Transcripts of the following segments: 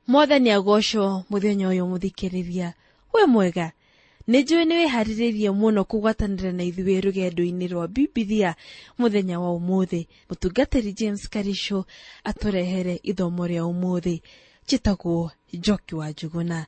Mwathani agocwo muthenya uyu muthikiriria. We mwega, nĩ njũĩ nĩ wĩharĩrĩirie mũno kũgwatanĩra na ithuĩ rũgendo-inĩ rwa Bibilia mũthenya wa ũmũthĩ. Mũtungatĩri James Karisho atũrehere ithomo rĩa ũmũthĩ. Njĩtagwo Njoki wa Njuguna.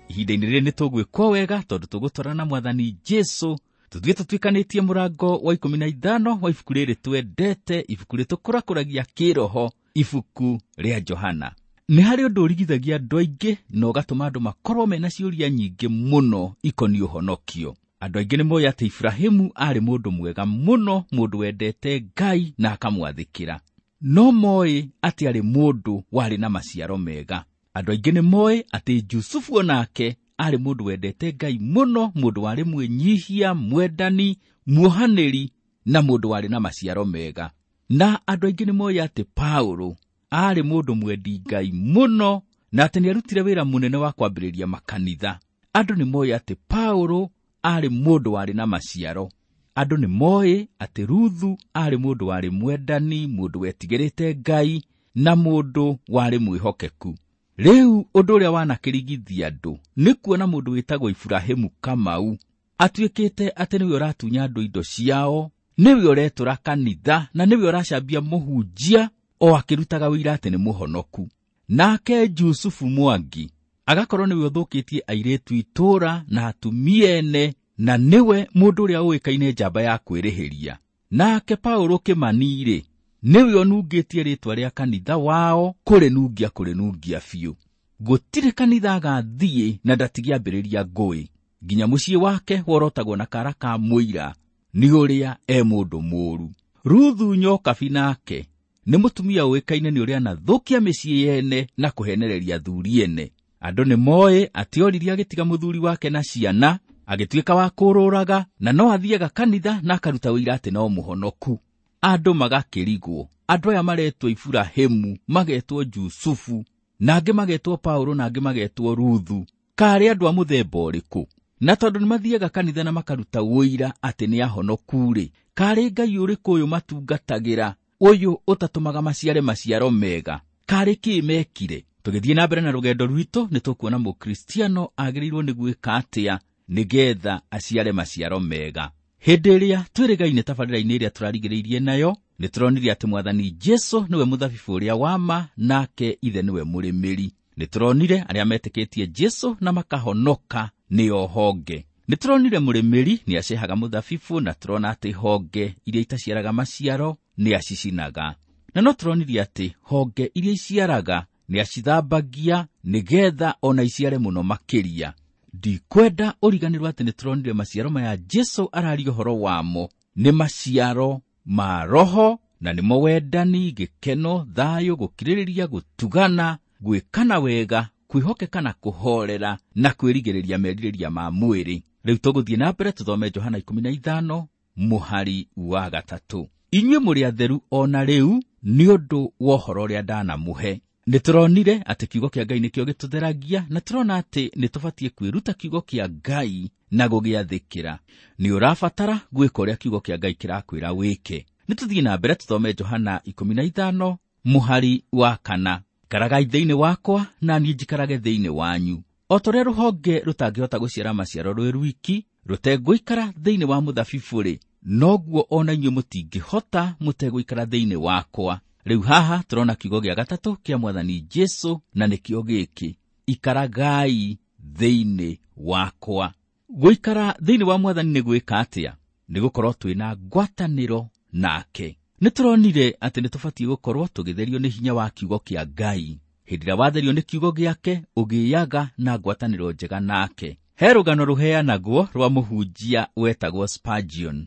Ihinda-inĩ rĩrĩ nĩ tũgwĩkwo wega tondũ tũgũtwarana na Mwathani Jesu. Tũthiĩ tũtuĩkanĩtie mũrango wa 15 wa ibuku rĩrĩ twendete, ibuku rĩtũkũrakũragia kĩroho, ibuku rĩa Johana. Nĩ harĩ ũndũ ũrigithagia andũ aingĩ na ũgatũma andũ makorwo mena ciũria nyingĩ mũno ikoniĩ ũhonokio. Andũ aingĩ nĩ moĩ atĩ Iburahĩmu aarĩ mũndũ mwega mũno, mũndũ wendete Ngai na akamwathĩkĩra. No moĩ atĩ aarĩ mũndũ warĩ na maciaro mega. Andũ aingĩ nĩ moĩ atĩ Jusufu onake aarĩ mũndũ wendete Ngai mũno, mũndũ warĩ mwĩnyihia, mwendani, muohanĩri na mũndũ warĩ na maciaro mega. Na andũ aingĩ nĩ moĩ atĩ Paũlũ aarĩ mũndũ mwendi Ngai mũno na atĩ nĩarutire wĩra mũnene wa kwambĩrĩria makanitha. Andũ nĩ moĩ atĩ Paũlũ aarĩ mũndũ warĩ na maciaro. Andũ nĩ moĩ atĩ Ruthu aarĩ mũndũ warĩ mwendani, mũndũ wetigĩrĩte Ngai na mũndũ warĩ mwĩhokeku. Rĩu ũndũ ũrĩa wanakĩrigithia andũ nĩ kuona mũndũ wĩtagwo Iburahĩmu Kamau atuĩkĩte atĩ nĩwe ũratunya andũ indo ciao, nĩwe ũretũra kanitha na nĩwe ũracambia mũhunjia o akĩrutaga wĩira atĩ nĩ mũhonoku. Nake Jusufu Mwangi agakorwo nĩwe ũthũkĩtie airĩtu itũũra na atumia ene, na nĩwe mũndũ ũrĩa ũĩkaine njamba ya kwĩrĩhĩria. Nake Paũlũ Kĩmani-rĩ, nĩwe ũnungĩtie rĩtwa rĩa kanitha wao kũrĩnungia kũrĩnungia biũ. Gũtirĩ kanitha agathiĩ na ndatigĩambĩrĩria ngũĩ. Nginya mũciĩ wake worotagwo na kara ka mũira nĩ ũrĩa e mũndũ mũũru. Ruthu Nyokabi nake nĩ mũtumia ũĩkaine nĩ ũrĩa anathũkia mĩciĩ yene na kũhenereria athuri ene. Andũ nĩ moĩ atĩ oririe agĩtiga mũthuri wake na ciana, agĩtuĩka wa kũrũraga, na no athiaga kanitha na akaruta ũira atĩ no mũhonoku. Andũ magakĩrigwo, andũ aya maretwo Iburahĩmu, magetwo Jusufu, na angĩ magetwo Paũlũ, na angĩ magetwo Ruthu, karĩ andũ a mũthemba ũrĩkũ? Na tondũ nĩ mathiaga kanitha na makaruta ũira atĩ nĩ ahonoku-rĩ, karĩ Ngai ũrĩkũ ũyũ matungatagĩra, ũyũ ũtatũmaga maciare maciaro mega? Karĩ kĩ mekire? Tũgĩthiĩ na mbere na rũgendo rwitũ nĩ tũkuona mũkristiano agĩrĩirwo nĩ gwĩka atĩa nĩgetha aciare maciaro mega. Hĩndĩ ĩrĩa twĩrĩgaine tabarĩra-inĩ ĩrĩa tũrarigĩrĩirie nayo, nĩ tũronire atĩ Mwathani Jesu nĩwe mũthabibũ ũrĩa wa ma, nake Ithe nĩwe mũrĩmĩri. Nĩ tũronire arĩa metĩkĩtie Jesu na makahonoka nĩo honge. Nĩ tũronire mũrĩmĩri nĩ acehaga mũthabibũ, na tũrona atĩ honge iria itaciaraga maciaro nĩ acicinaga. Na no tũronire atĩ honge iria iciaraga nĩ acithambagia nĩgetha ona iciare mũno makĩria. Ndikwenda ũriganĩrwo atĩ nĩ tũronire maciaro maya Jesu araria ũhoro wamo nĩ maciaro ma Roho, na nĩmo wendani, gĩkeno, thayũ, gũkirĩrĩria, gũtugana, gwĩkana wega, kwĩhokeka na kũhorera, na kwĩrigĩrĩria merirĩria ma mwĩrĩ. Rĩu tũgũthiĩ na mbere tũthome Johana 15 mũhari wa 3. Inyuĩ mũrĩ atheru o na rĩu nĩ ũndũ wa ũhoro ũrĩa ndanamũhe. Nĩ tũronire atĩ kiugo kĩa Ngai nĩkĩo gĩtũtheragia, na tũrona atĩ nĩ tũbatiĩ kwĩruta kiugo kĩa Ngai na gũgĩathĩkĩra. Nĩ ũrabatara gwĩka ũrĩa kiugo kĩa Ngai kĩrakwĩra wĩke. Nĩ tũthiĩ na mbere tũthome Johana 15 mũhari wa 4. Ikaragai thĩinĩ wakwa na niĩ njikarage thĩinĩ wanyu. O ta ũrĩa rũhonge rũtangĩhota gũciara maciaro rwĩ rwiki, rũtegũikara thĩinĩ wa mũthabibũ-rĩ, noguo o na inyuĩ mũtingĩhota mũtegũikara thĩinĩ wakwa. Rĩu haha tũrona kiugo gĩa gatatũ kĩa Mwathani Jesu, na nĩkĩo gĩkĩ: ikaragai thĩinĩ wakwa. Gũikara thĩinĩ wa Mwathani nĩ gwĩka atĩa? Nĩ gũkorwo twĩna ngwatanĩro nake. Nĩ tũronire atĩ nĩ tũbatiĩ gũkorwo tũgĩtherio nĩ hinya wa kiugo kĩa Ngai. Hĩndĩ ĩrĩa watherio nĩ kiugo gĩake, ũgĩaga na ngwatanĩro njega nake. He rũgano rũheanagwo rwa mũhunjia wetagwo Spurgeon.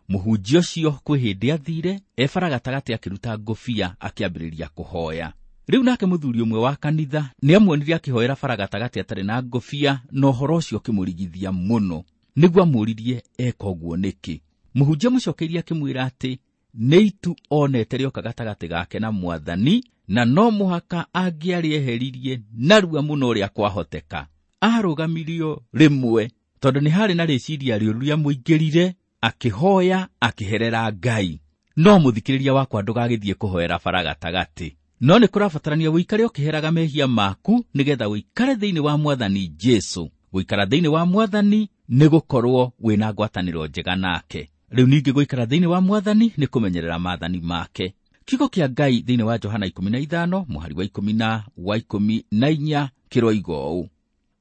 Mũhunjia ũcio kwĩ hĩndĩ athire e bara gatagatĩ akĩruta ngũbia akĩambĩrĩria kũhoya. Rĩu nake mũthuri ũmwe wa kanitha nĩ amuonire akĩhoera bara gatagatĩ atarĩ na ngũbia, na ũhoro ũcio ũkĩmũrigithia mũno. Nĩguo amũririe eka ũguo nĩkĩ. Mũhunjia mũcokeirie akĩmwĩra atĩ nĩ itu onete rĩoka gatagatĩ gake na Mwathani, na no mũhaka angĩarĩeheririe narua mũno ũrĩa kwahoteka. Arũgamirio rĩmwe tondũ nĩ harĩ na rĩciria rĩũru rĩamũingĩrire, akĩhoya akĩherera Ngai. No mũthikĩrĩria wakwa ndũgagĩthiĩ kũhoera bara gatagatĩ. No nĩ kũrabatarania ũikare ũkĩheraga mehia maku nĩgetha ũikare thĩinĩ wa Mwathani Jesu. Gũikara thĩinĩ wa Mwathani nĩ gũkorwo wĩna ngwatanĩro njega nake. Rĩu ningĩ gũikara thĩinĩ wa Mwathani nĩ kũmenyerera maathani make. Kiugo kĩa Ngai thĩinĩ wa Johana 15 mũhari wa 10 na wa 14 kĩroiga ũũ: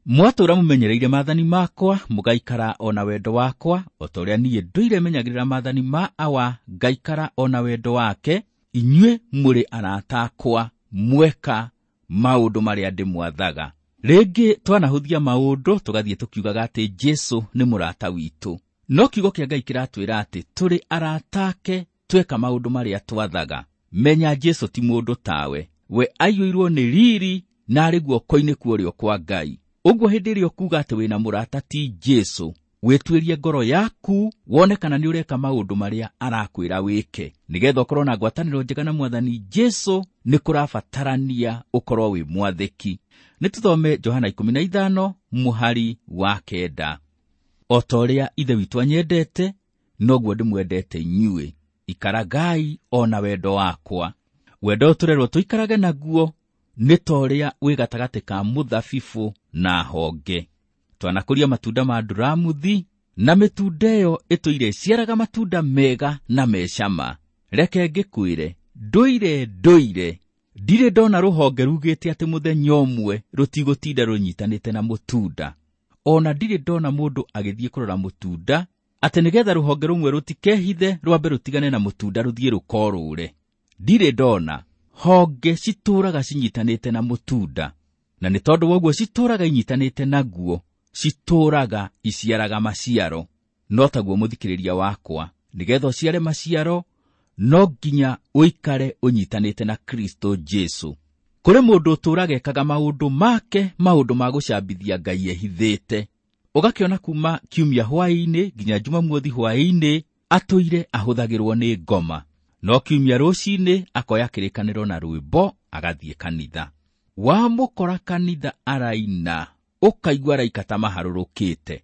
mwatũũra mũmenyereire maathani makwa, mũgaikara o na wendo wakwa, o ta ũrĩa niĩ ndũire menyagĩrĩra maathani ma Awa, ngaikara o na wendo wake. Inyuĩ mũrĩ arata akwa, mweka maũndũ marĩa ndĩmwathaga. Rĩngĩ twanahũthia maũndũ tũgathiĩ tũkiugaga atĩ Jesu nĩ mũrata witũ, no kiugo kĩa Ngai kĩratwĩra atĩ tũrĩ arata ake tweka maũndũ marĩa twathaga. Menya Jesu ti mũndũ tawe, we aiyũirwo nĩ riri na arĩ guoko-inĩ kwa ũrĩo kwa Ngai. Ũguo hĩndĩ ĩrĩa ũkuuga atĩ wĩna mũrata ti Jesu, wĩtuĩrie ngoro yaku wone kana nĩ ũreka maũndũ marĩa arakwĩra wĩke. Nĩgetha ũkorwo na ngwatanĩro njega na Mwathani Jesu, nĩ kũrabatarania ũkorwo wĩ mwathĩki. Nĩ tũthome Johana 15 mũhari wa 9. O ta ũrĩa Ithe witũ anyendete, noguo ndĩmwendete inyuĩ, ikaragai o na wendo wakwa. Wendo ũyũ tũrerwo tũikarage naguo nĩ ta ũrĩa wĩ gatagatĩ ka mũthabibũ na honge. Twanakũria matunda ma nduramuthi, na mĩtunda ĩyo ĩtũire ĩciaraga matunda mega na mecama. Reke ngĩkwĩre, ndũire ndũire ndirĩ ndona rũhonge rugĩte atĩ mũthenya ũmwe rũtigũtinda rũnyitanĩte na mũtunda. Ona ndirĩ ndona mũndũ agĩthiĩ kũrora mũtunda atĩ nĩgetha rũhonge rũmwe rũtikehithe rwambe rũtigane na mũtunda rũthiĩ rũkorũre. Ndirĩ ndona. Honge citũũraga cinyitanĩte na mũtunda, na nĩ tondũ wa ũguo citũũraga inyitanĩte naguo, citũũraga iciaraga maciaro. No taguo mũthikĩrĩria wakwa, nĩgetha ũciare maciaro no nginya ũikare ũnyitanĩte na Kristo Jesu. Kũrĩ mũndũ ũtũũraga ekaga maũndũ make, maũndũ ma gũcambithia Ngai ehithĩte. Ũgakĩona kuma kiumia hwaĩ-inĩ nginya Jumamothi hwaĩ-inĩ atũire ahũthagĩrwo nĩ ngoma, no kiumia rũcinĩ akoya kĩrĩkanĩro na rwĩmbo agathiĩ kanitha. Wamũkora kanitha araina, ũkaigua araika ta maharũrũkĩte.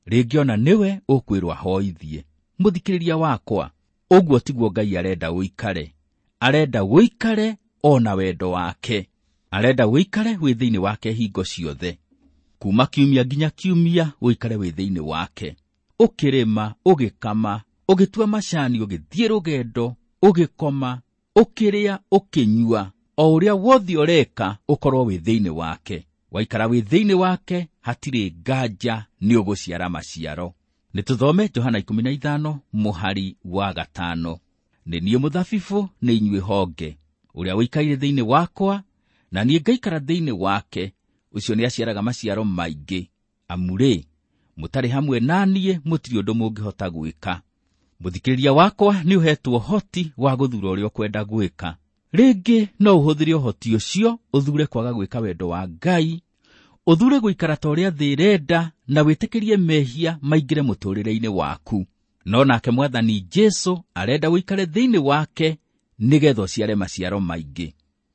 Rĩngĩ ona nĩwe ũkwĩrwo ahoithie. Mũthikĩrĩria wakwa, ũguo tiguo Ngai arenda ũikare. Arenda ũikare o na wendo wake. Arenda ũikare wĩ thĩinĩ wake hingo ciothe. Kuma kiumia nginya kiumia ũikare wĩ thĩinĩ wake. Ũkĩrĩma, ũgĩkama, ũgĩtua macani, ũgĩthiĩ rũgendo, ũgĩkoma, ũkĩrĩa, ũkĩnyua, o ũrĩa wothe ũreka ũkorwo wĩ thĩinĩ wake. Waikara wĩ thĩinĩ wake, hatirĩ nganja nĩ ũgũciara maciaro. Nĩ tũthome Johana 15 mũhari wa 5. Nĩ niĩ mũthabibũ, nĩ inyuĩ honge. Ũrĩa ũikaire thĩinĩ wakwa, na niĩ ngaikara thĩinĩ wake, ũcio nĩaciaraga maciaro maingĩ. Amu rĩ, mũtarĩ hamwe na niĩ mũtirĩ ũndũ mũngĩhota gwĩka. Mũthikĩrĩria wakwa nĩ ũhetwo ũhoti wa gũthura ũrĩa ũkwenda gwĩka. Rĩngĩ no ũhũthĩre ũhoti ũcio ũthure kwaga gwĩka wendo wa Ngai, ũthure gũikara ta ũrĩa thĩ ĩrenda, na wĩtĩkĩrie mehia maingĩre mũtũũrĩre-inĩ waku. No nake Mwathani Jesu arenda ũikare thĩinĩ wake nĩgetha ũciare maciaro maingĩ.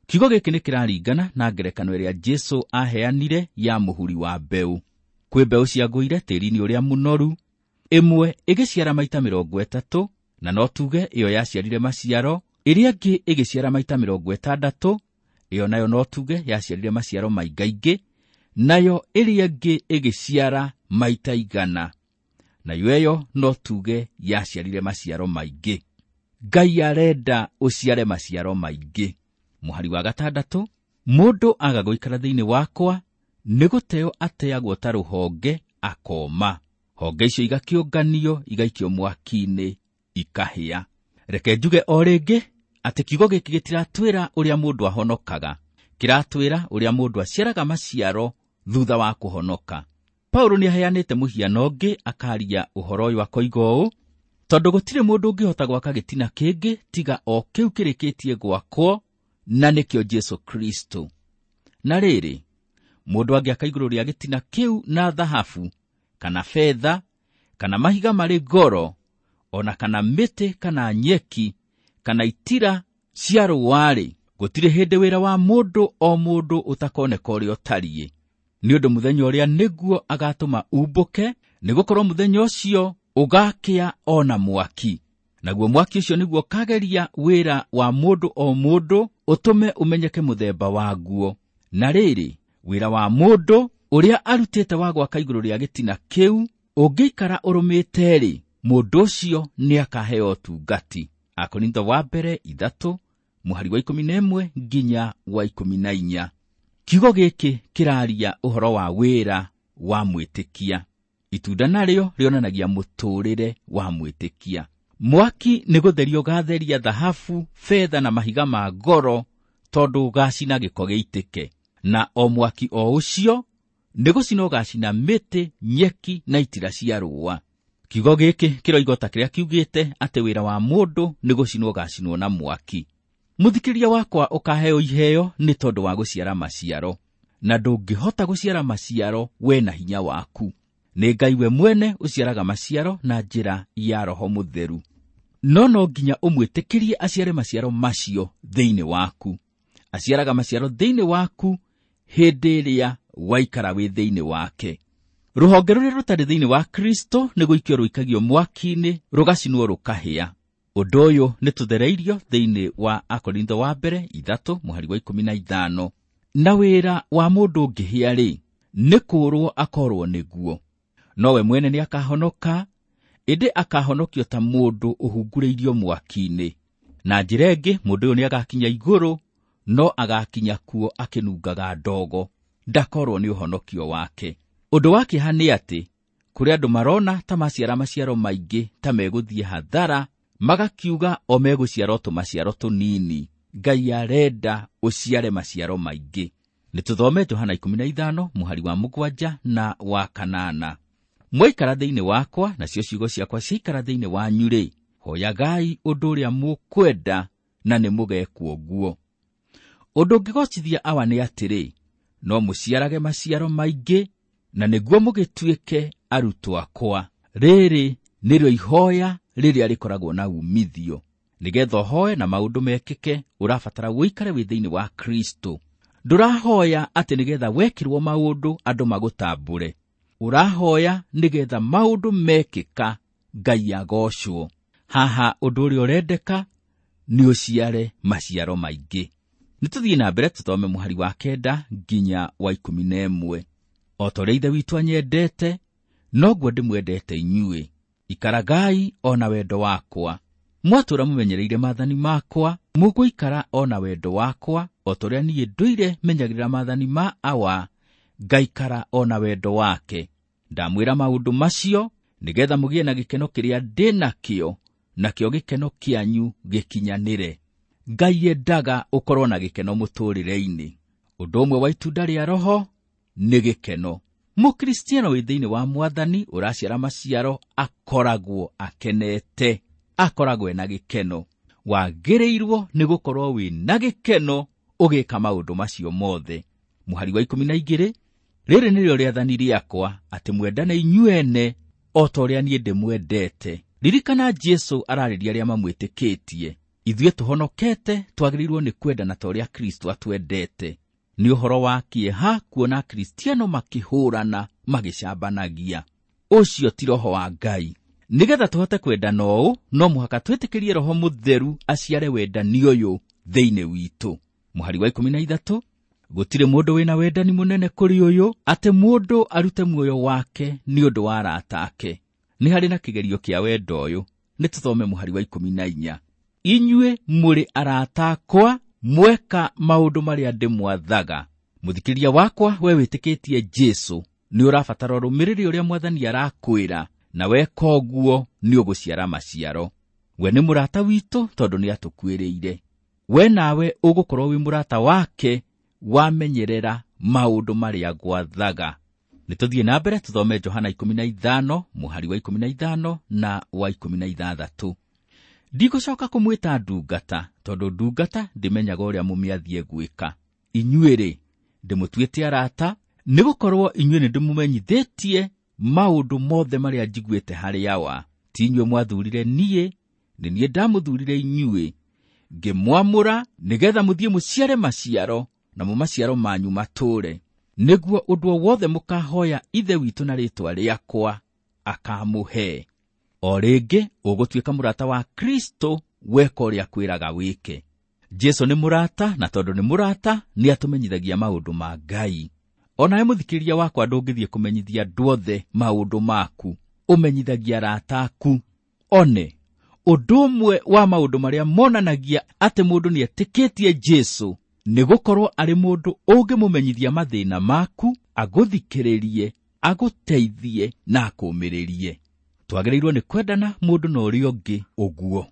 Kiugo gĩkĩ nĩ kĩraringana na ngerekano ĩrĩa Jesu aheanire ya mũhuri wa mbeũ. Kwĩ mbeũ ciagũire tĩĩri-inĩ ũrĩa mũnoru, ĩmwe ĩgĩciara maita 30, na no tuge ĩyo yaciarire maciaro, ĩrĩa ĩngĩ ĩgĩciara maita 60, ĩyo nayo no tuge yaciarire maciaro maingaingĩ, nayo ĩrĩa ĩngĩ ĩgĩciara maita 100, nayo ĩyo no tuge yaciarire maciaro maingĩ. Ngai arenda ũciare maciaro maingĩ. Mũhari wa 6, mũndũ aga gũikara thĩinĩ wakwa nĩ gũteo ateagwo ta rũhonge akoma. Honge icio igakĩũnganio igaikio mwaki-inĩ ikahĩa. Reke njuge o rĩngĩ atĩ kiugo gĩkĩ gĩtiratwĩra ũrĩa mũndũ ahonokaga, kĩratwĩra ũrĩa mũndũ aciaraga maciaro thutha wa kũhonoka. Paulo nĩaheanĩte mũhiano ũngĩ akaria ũhoro ũyũ akoiga ũũ: tondũ gũtirĩ mũndũ ũngĩhota gwaka gĩtina kĩngĩ tiga o kĩu kĩrĩkĩtie gwakwo, na nĩkĩo Jesu Kristo. Na rĩrĩ, mũndũ angĩaka igũrũ rĩa gĩtina kĩu na thahabu, kana betha, kana mahiga marĩ goro, ona kana mĩtĩ, kana nyeki, kana itira cia rũũa-rĩ, gũtirĩ hĩndĩ wĩra wa mũndũ o mũndũ ũtakoneka ũrĩa ũtariĩ. Nĩ ũndũ mũthenya ũrĩa nĩguo agatũma umbũke, nĩgũkorwo mũthenya ũcio ũgakĩa o na mwaki. Naguo mwaki ũcio nĩguo ũkageria wĩra wa mũndũ o mũndũ ũtũme ũmenyeke mũthemba waguo. Na rĩrĩ, wĩra wa mũndũ ũrĩa arutĩte wa gwaka igũrũ rĩa gĩtina kĩu ũngĩikara ũrũmĩte-rĩ, mũndũ ũcio nĩakaheo ũtungati. Akorintho wa mbere 3 mũhari wa 11 nginya wa 14. Kiugo gĩkĩ kĩraria ũhoro wa wĩra wa mwĩtĩkia. Itunda narĩo rĩonanagia mũtũũrĩre wa mwĩtĩkia. Mwaki nĩ gũtheria ũgatheria thahabu, betha na mahiga ma goro, tondũ ũgacina gĩko gĩitĩke. Na o mwaki o ũcio nĩ gũcina ũgacina mĩtĩ, nyeki na itira cia rũũa. Kiugo gĩkĩ kĩroiga ta kĩrĩa kiugĩte atĩ wĩra wa mũndũ nĩ gũcinwo ũgacinwo na mwaki. Mũthikĩria wakwa ũkaheo iheo nĩ tondũ wa gũciara maciaro, na ndũngĩhota gũciara maciaro we na hinya waku. Nĩ Ngai we mwene ũciaraga maciaro na njĩra ya Roho Mũtheru. No no nginya ũmwĩtĩkĩrie aciare maciaro macio thĩinĩ waku. Aciaraga maciaro thĩinĩ waku hĩndĩ ĩrĩa waikara wĩ thĩinĩ wake. Rũhonge rũrĩa rũtarĩ thĩinĩ wa Kristo nĩ gũikio rũikagio mwaki-inĩ, rũgacinwo rũkahĩa. Ũndũ ũyũ nĩ tũthereirio thĩinĩ wa Akorintho wa mbere 3 mũhari wa 15. Na wĩra wa mũndũ ũngĩhĩa-rĩ, nĩ kũũrwo akorwo nĩguo. Nowe mwene nĩ akahonoka, ĩndĩ akahonokio ta mũndũ ũhungurĩirio mwaki-inĩ. Na njĩra ĩngĩ, mũndũ ũyũ nĩ agakinya igũrũ, no agakinya kuo akĩnungaga ndogo, ndakorwo nĩ ũhonokio wake. Ũndũ wa kĩeha nĩ atĩ kũrĩ andũ marona ta maciara maciaro maingĩ ta megũthiĩ hathara, magakiuga o megũciara o tũmaciaro tũnini. Ngai arenda ũciare maciaro maingĩ. Nĩ tũthome Johana 15 mũhari wa 7 na wa 8. Mwaikara thĩinĩ wakwa, nacio ciugo ciakwa ciaikara thĩinĩ wanyu-rĩ, hoyagai ũndũ ũrĩa mũkwenda na nĩ mũgekwo guo. Ũndũ ũngĩgocithia Awa nĩ atĩrĩ, no mũciarage maciaro maingĩ, na nĩguo mũgĩtuĩke arutwo akwa. Rĩrĩ nĩrĩo ihoya rĩrĩa rĩkoragwo na umithio. Nĩgetha ũhoe na maũndũ mekĩke, ũrabatara ũikare wĩ thĩinĩ wa Kristo. Ndũrahoya atĩ nĩgetha wekĩrwo maũndũ andũ magũtambũre. Ũrahoya nĩgetha maũndũ mekĩka Ngai agocwo. Haha ũndũ ũrĩa ũrendeka nĩ ũciare maciaro maingĩ. Nĩ tũthiĩ na mbere tũthome mũhari wa 9 nginya wa 11. O ta ũrĩa Ithe witũ anyendete, noguo ndĩmwendete inyuĩ. Ikaragai o na wendo wakwa. Mwatũũra mũmenyereire maathani makwa, mũgũikara o na wendo wakwa, o ta ũrĩa niĩ ndũire menyagĩrĩra maathani ma Awa, ngaikara o na wendo wake. Ndamwĩra maũndũ macio nĩgetha mũgĩe na gĩkeno kĩrĩa ndĩ nakĩo, nakĩo gĩkeno kĩanyu gĩkinyanĩre. Ngai endaga ũkorwo na gĩkeno mũtũũrĩre-inĩ. Ũndũ ũmwe wa itunda rĩa Roho nĩ gĩkeno. Mũkristiano wĩ thĩinĩ wa Mwathani ũraciara maciaro akoragwo akenete, akoragwo ena gĩkeno. Wagĩrĩirwo nĩ gũkorwo wĩ na gĩkeno ũgĩka maũndũ macio mothe. Mũhari wa 12, rĩrĩ nĩrĩo rĩathani rĩakwa, atĩ mwendane inyuene o ta ũrĩa niĩ ndĩmwendete. Ririkana Jesũ ararĩria arĩa mamwĩtĩkĩtie. Ithuĩ tũhonokete twagĩrĩirwo nĩ kwendana ta ũrĩa Kristo atwendete. Nĩ ũhoro wa kĩeha kuona Akristiano makĩhũrana magĩcambanagia. Ũcio ti Roho wa Ngai. Nĩgetha tũhote kwendana ũũ, no mũhaka twĩtĩkĩrie Roho Mũtheru aciare wendani ũyũ thĩinĩ witũ. Mũhari wa 13, gũtirĩ mũndũ wĩna wendani mũnene kũrĩ ũyũ, atĩ mũndũ arute muoyo wake nĩ ũndũ wa arata ake. Nĩ harĩ na kĩgerio kĩa wendo ũyũ. Nĩ tũthome mũhari wa 14. Inyuĩ mũrĩ arata akwa, mweka maũndũ marĩa ndĩmwathaga. Mũthikĩria wakwa, we wĩtĩkĩtie Jesũ, nĩ ũrabatara ũrũmĩrĩre ũrĩa Mwathani arakwĩra, na weka ũguo nĩ ũgũciara maciaro. We nĩ mũrata witũ tondũ nĩ atũkuĩrĩire. We nawe ũgũkorwo wĩ mũrata wake wamenyerera maũndũ marĩa gwathaga. Nĩ tũthiĩ na mbere tũthome Johana 15 mũhari wa 15 na wa 16. Ndigũcoka kũmwĩta ndungata, tondũ ndungata ndĩmenyaga ũrĩa mũmĩathiĩ gwĩka. Inyuĩ-rĩ, ndĩmũtuĩte arata, nĩgũkorwo inyuĩ nĩndĩmũmenyithĩtie maũndũ mothe marĩa njiguĩte harĩ Awa. Ti inyuĩ mwathurire niĩ, nĩ niĩ ndamũthurire inyuĩ, ngĩmwamũra nĩgetha mũthiĩ mũciare maciaro, namo maciaro manyu matũũre, nĩguo ũndũ o wothe mũkahoya Ithe witũ na rĩĩtwa rĩakwa akamũhe. O rĩngĩ ũgũtuĩka mũrata wa Kristo weka ũrĩa akwĩraga wĩke. Jesu nĩ mũrata, na tondũ nĩ mũrata nĩ atũmenyithagia maũndũ ma Ngai. Onawe mũthikĩrĩria wakwa ndũngĩthiĩ kũmenyithia andũ othe maũndũ maku, ũmenyithagia arata aku. One, ũndũ ũmwe wa maũndũ marĩa monanagia atĩ mũndũ nĩ etĩkĩtie Jesu nĩ gũkorwo arĩ mũndũ ũngĩmũmenyithia mathĩna maku, agũthikĩrĩrie, agũteithie na akũũmĩrĩrie. Twagĩrĩirwo nĩ kwendana mũndũ na ũrĩa ũngĩ ũguo.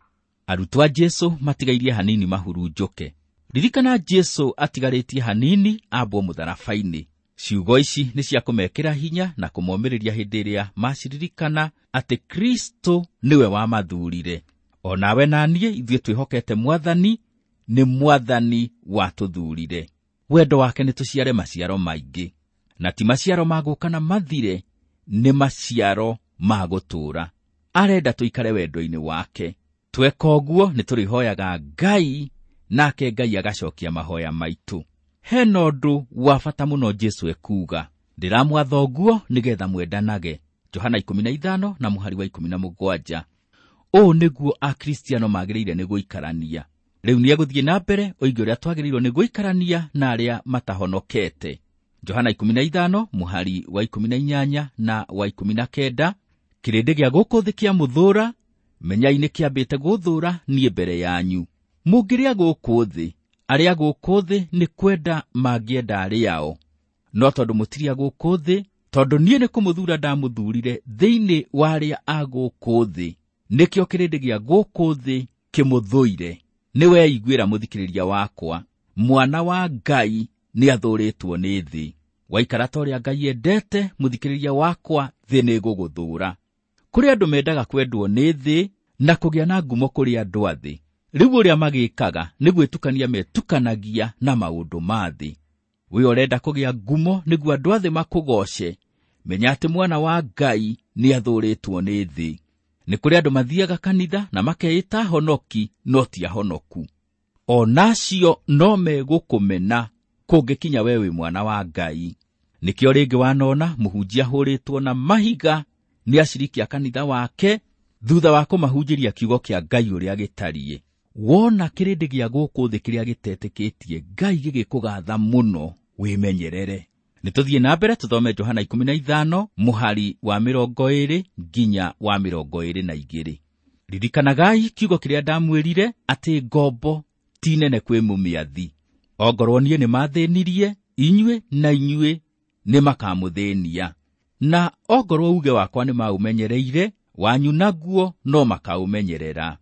Arutwo a Jesu matigairie hanini mahurunjũke. Ririkana Jesu atigarĩtie hanini ambwo mũtharaba-inĩ. Ciugo ici nĩ cia kũmekĩra hinya na kũmomĩrĩria hĩndĩ ĩrĩa maciririkana atĩ Kristo nĩwe wamathurire. O nawe na niĩ ithuĩ twĩhokete Mwathani, nĩ Mwathani watũthurire. Wendo wake nĩ tũciare maciaro maingĩ, na ti maciaro ma gũka na mathire, nĩ maciaro ma gũtũũra. Arenda tũikare wendo-inĩ wake. Tweka ũguo nĩ tũrĩhoyaga Ngai, nake Ngai agacokia mahoya maitũ. Hena ũndũ wa bata mũno Jesu ekuuga, ndĩramwatha ũguo nĩgetha mwendanage. Johana 15 na mũhari wa 17. Ũũ nĩguo Akristiano magĩrĩire nĩ gũikarania. Rĩu nĩ egũthiĩ na mbere oige ũrĩa twagĩrĩirwo nĩ gũikarania na arĩa matahonokete. Johana 15 mũhari wa 18 na wa 19. Kĩrĩndĩ gĩa gũkũ thĩ kĩamũthũũra, menyai nĩ kĩambĩte gũthũũra niĩ mbere yanyu. Mũngĩrĩa gũkũ thĩ, arĩa gũkũ thĩ nĩ kwenda mangĩenda arĩao. No tondũ mũtirĩ a gũkũ thĩ, tondũ niĩ nĩ kũmũthuura ndamũthuurire thĩinĩ wa arĩa a gũkũ thĩ, nĩkĩo kĩrĩndĩ gĩa gũkũ thĩ kĩmũthũire. Nĩ weiguĩra mũthikĩrĩria wakwa, mwana wa Ngai nĩ athũũrĩtwo nĩ thĩ. Waikara ta ũrĩa Ngai endete, mũthikĩrĩria wakwa, thĩ nĩ ĩgũgũthũũra. Kũrĩ andũ mendaga kwendwo nĩ thĩ na kũgĩa na ngumo kũrĩ andũ a thĩ. Rĩu ũrĩa magĩkaga nĩ gwĩtukania metukanagia na maũndũ ma thĩ. We ũrenda kũgĩa ngumo nĩguo andũ a thĩ makũgooce, menya atĩ mwana wa Ngai nĩ athũũrĩtwo nĩ thĩ. Nĩ kũrĩ andũ mathiaga kanitha na makeĩta honoki no ti ahonoku. O nacio no megũkũmena kũngĩkinya we wĩ mwana wa Ngai. Nĩkĩo rĩngĩ wanona mũhunjia ahũrĩtwo na mahiga nĩ aciriki a kanitha wake thutha wa kũmahunjĩria kiugo kĩa Ngai ũrĩa gĩtariĩ. Wona kĩrĩndĩ gĩa gũkũ thĩ kĩrĩa gĩtetĩkĩtie Ngai gĩgĩkũgatha mũno, wĩmenyerere. Nĩ tũthiĩ na mbere tũthome Johana 15 mũhari wa 20 nginya wa 22. Ririkanagai kiugo kĩrĩa ndamwĩrire atĩ ngombo ti nene kwĩ mũmĩathi. Ongorwo niĩ nĩ mathĩnirie, inyuĩ na inyuĩ nĩ makamũthĩnia. Na ongorwo uge wakwa nĩ maũmenyereire, wanyu naguo no makaũmenyerera.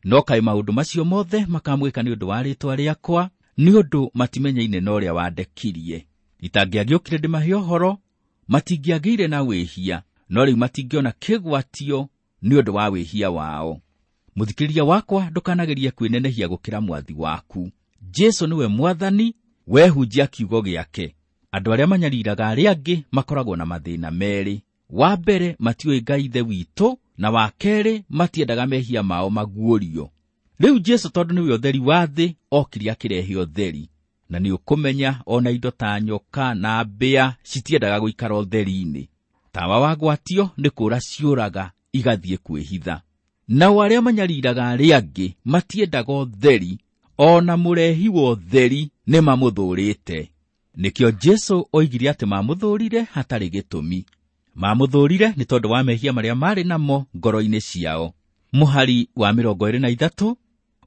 No kaĩ maũndũ macio mothe makamwĩka nĩ ũndũ wa rĩĩtwa rĩakwa, nĩ ũndũ matimenyaine na ũrĩa wandekirie. Itangĩagĩũkire ndĩmahe ũhoro, matingĩagĩire na wĩhia, no rĩu matingĩona kĩgwatio nĩ ũndũ wa wĩhia wao. Mũthikĩrĩria wakwa, ndũkanagerie kwĩnenehia gũkĩra mwathi waku. Jesu nĩwe mwathani, wehunjia kiugo gĩake. Andũ arĩa manyariraga arĩa angĩ makoragwo na mathĩna merĩ. Wa mbere, matiũĩ Ngai Ithe witũ, na wa kerĩ, matiendaga mehia mao maguũrio. Rĩu Jesu tondũ nĩwe ũtheri wa thĩ, okire akĩrehe ũtheri. Na nĩ ũkũmenya ona indo ta nyoka na mbĩa citiendaga gũikara ũtheri-inĩ. Tawa wagwatio nĩ kũũra ciũraga igathiĩ kwĩhitha. Nao arĩa manyariraga arĩa angĩ matiendaga ũtheri, ona mũrehi wa ũtheri nĩ mamũthũũrĩte. Nĩkĩo Jesu oigire atĩ mamũthũũrire hatarĩ gĩtũmi. Mamũthũũrire nĩ tondũ wa mehia marĩa marĩ namo ngoro-inĩ ciao. Mũhari wa 23,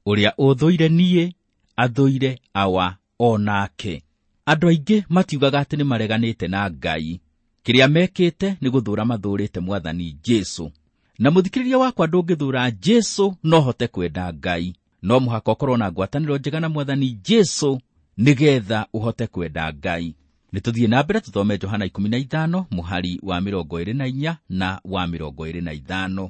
ũrĩa ũthũire niĩ athũire awa o nake. Andũ aingĩ matiugaga atĩ nĩ mareganĩte na Ngai. Kĩrĩa mekĩte nĩ gũthũũra mathũũrĩte Mwathani Jesu. Na mũthikĩrĩria wakwa, ndũngĩthũũra Jesu no hote kwenda Ngai. No mũhaka ũkorwo na ngwatanĩro njega na Mwathani Jesu nĩgetha ũhote kwenda Ngai. Nĩ tũthiĩ na mbere tũthome Johana 15 mũhari wa 24 na wa 25.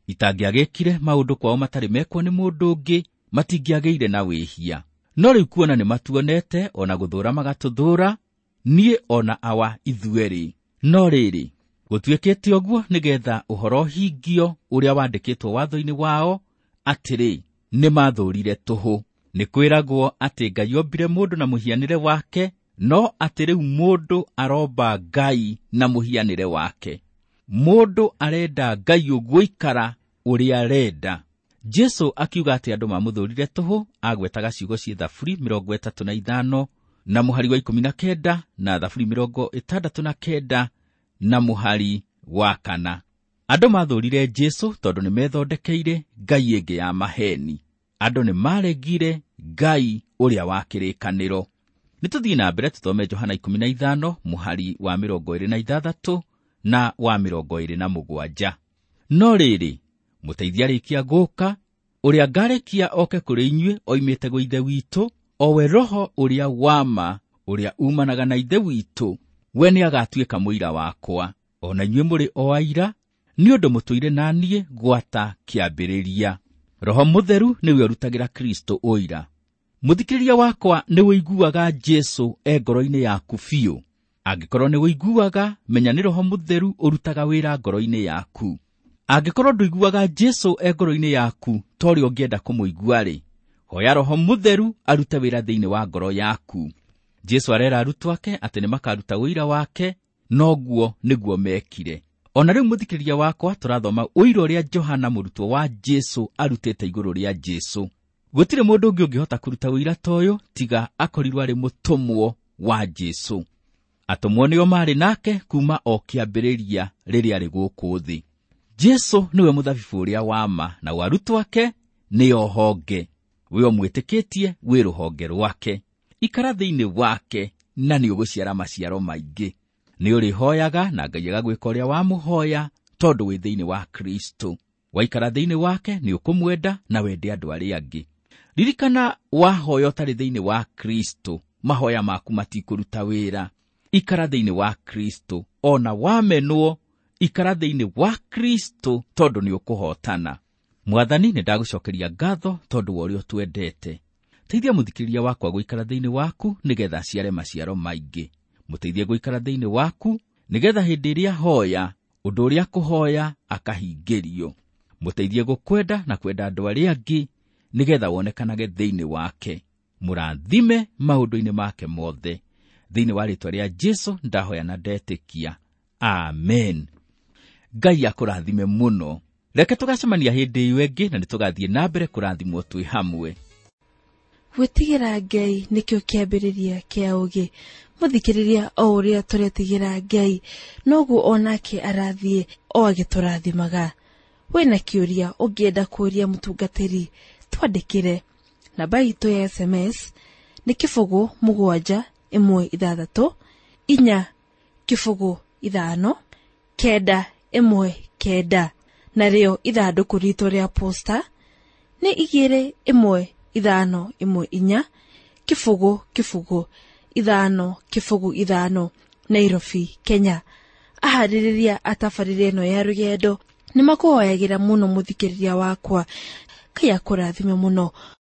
Itangĩagĩkire maũndũ kwao matarĩ mekwo nĩ mũndũ ũngĩ, matingĩagĩire na wĩhia. No rĩu kuona nĩ matuonete, ona gũthũũra magatũthũũra, niĩ ona awa ithuerĩ. No rĩrĩ, gũtuĩkĩte ũguo nĩgetha ũhoro ũhingio ũrĩa wandĩkĩtwo watho-inĩ wao, atĩrĩ, nĩ mathũũrire tũhũ. Nĩ kwĩragwo atĩ Ngai ombire mũndũ na mũhianĩre wake, no atĩ rĩu mũndũ aromba Ngai na mũhianĩre wake. Mũndũ arenda Ngai ũguo ikara ũrĩa arenda. Jesu akiuga atĩ andũ mamũthũrire tũhũ, agwetaga ciugo ciĩ Thaburi 35 na mũhari wa 19 na Thaburi 69 na mũhari wa 4. Andũ mathũrire Jesu tondũ nĩmethondekeire ngai ĩngĩ ya maheni. Andũ nĩmaregire Ngai ũrĩa wa kĩrĩkanĩro. Nĩtũthiĩ na mbere tũthome Johana 15 mũhari wa 26 na wa 27. No rĩrĩ, mũteithia arĩkia gũka, ũrĩa ngarekia oke kũrĩ inyuĩ oimĩte gwĩ Ithe witũ, o we Roho ũrĩa wa ma, ũrĩa umanaga na Ithe witũ, we nĩagatuĩka mũira wakwa. O na inyuĩ mũrĩ o aira, nĩ ũndũ mũtũire na niĩ gwata kĩambĩrĩria. Roho Mũtheru nĩwe ũrutagĩra Kristo ũira. Mũthikĩrĩria wakwa, nĩ ũiguaga Jesu e ngoro-inĩ yaku biũ? Angĩkorwo nĩ ũiguaga, menya nĩ Roho Mũtheru ũrutaga wĩra ngoro-inĩ yaku. Angĩkorwo ndũiguaga Jesu e ngoro-inĩ yaku ta ũrĩa ũngĩenda kũmũigua-rĩ, hoya Roho Mũtheru arute wĩra thĩinĩ wa ngoro yaku. Jesu arera arutwo ake atĩ nĩmakaruta ũira wake, noguo nĩguo mekire. Ona rĩu mũthikĩrĩria wakwa, tũrathoma ũira ũrĩa Johana mũrutwo wa Jesu arutĩte igũrũ rĩa Jesu. Gũtirĩ mũndũ ũngĩ ũngĩhota kũruta ũira ta ũyũ tiga akorirwo arĩ mũtũmwo wa Jesu. Atũmwo nĩo maarĩ nake kuma o kĩambĩrĩria rĩrĩa arĩ gũkũ thĩ. Jesu nĩwe mũthabibũ ũrĩa wa ma, na arutwo ake nĩo honge. We ũmwĩtĩkĩtie wĩ rũhonge rwake. Ikara thĩinĩ wake na nĩũgũciara maciaro maingĩ. Nĩũrĩhoyaga na Ngai agagwĩka ũrĩa wamũhoya tondũ wĩ thĩinĩ wa Kristo. Waikara thĩinĩ wake nĩũkũmwenda na wende andũ arĩa angĩ. Ririkana, wahoya ũtarĩ thĩinĩ wa Kristo, mahoya maku matikũruta wĩra. Ikara thĩinĩ wa Kristo, ona wamenwo, ikara thĩinĩ wa Kristo tondũ nĩũkũhotana. Mwathani, nĩndagũcokeria ngatho tondũ wa ũrĩa ũtwendete. Teithia mũthikĩrĩria wakwa gũikara thĩinĩ waku nĩgetha aciare maciaro maingĩ. Mũteithie gũikara thĩinĩ waku nĩgetha hĩndĩ ĩrĩa hoya, ũndũ ũrĩa kũhoya akahingĩrio. Mũteithie gũkwenda na kwenda andũ arĩa angĩ nĩgetha wonekanage thĩinĩ wake. Mũrathime maũndũ-inĩ make mothe. Thĩinĩ wa rĩĩtwa rĩa Jesu ndahoya na ndetĩkia. Amen. Ngai akũrathime mũno. Reke tũgacemania hĩndĩ ĩyo ĩngĩ na nĩtũgathiĩ na mbere kũrathimwo twĩ hamwe. Gwĩtigĩra Ngai nĩkĩo kĩambĩrĩria kĩa ũũgĩ. Mũthikĩrĩria, o ũrĩa tũretigĩra Ngai, noguo onake arathiĩ o agĩtũrathimaga. Wĩna kĩũria ũngĩenda kũũria mũtungatĩri, twandĩkĩre. Namba itũ ya SMS nĩ 0 7 1 6 4 0 5 9 1 9, narĩo ithandũkũ ritũ rĩa posta nĩ 2 1 5 1 4 0 0 5 0 5, Nairobi, Kenya. Aharĩrĩria a tabarĩra ĩno ya rũgendo nĩmakũhoyagĩra mũno mũthikĩrĩria wakwa. Ngai akũrathime mũno.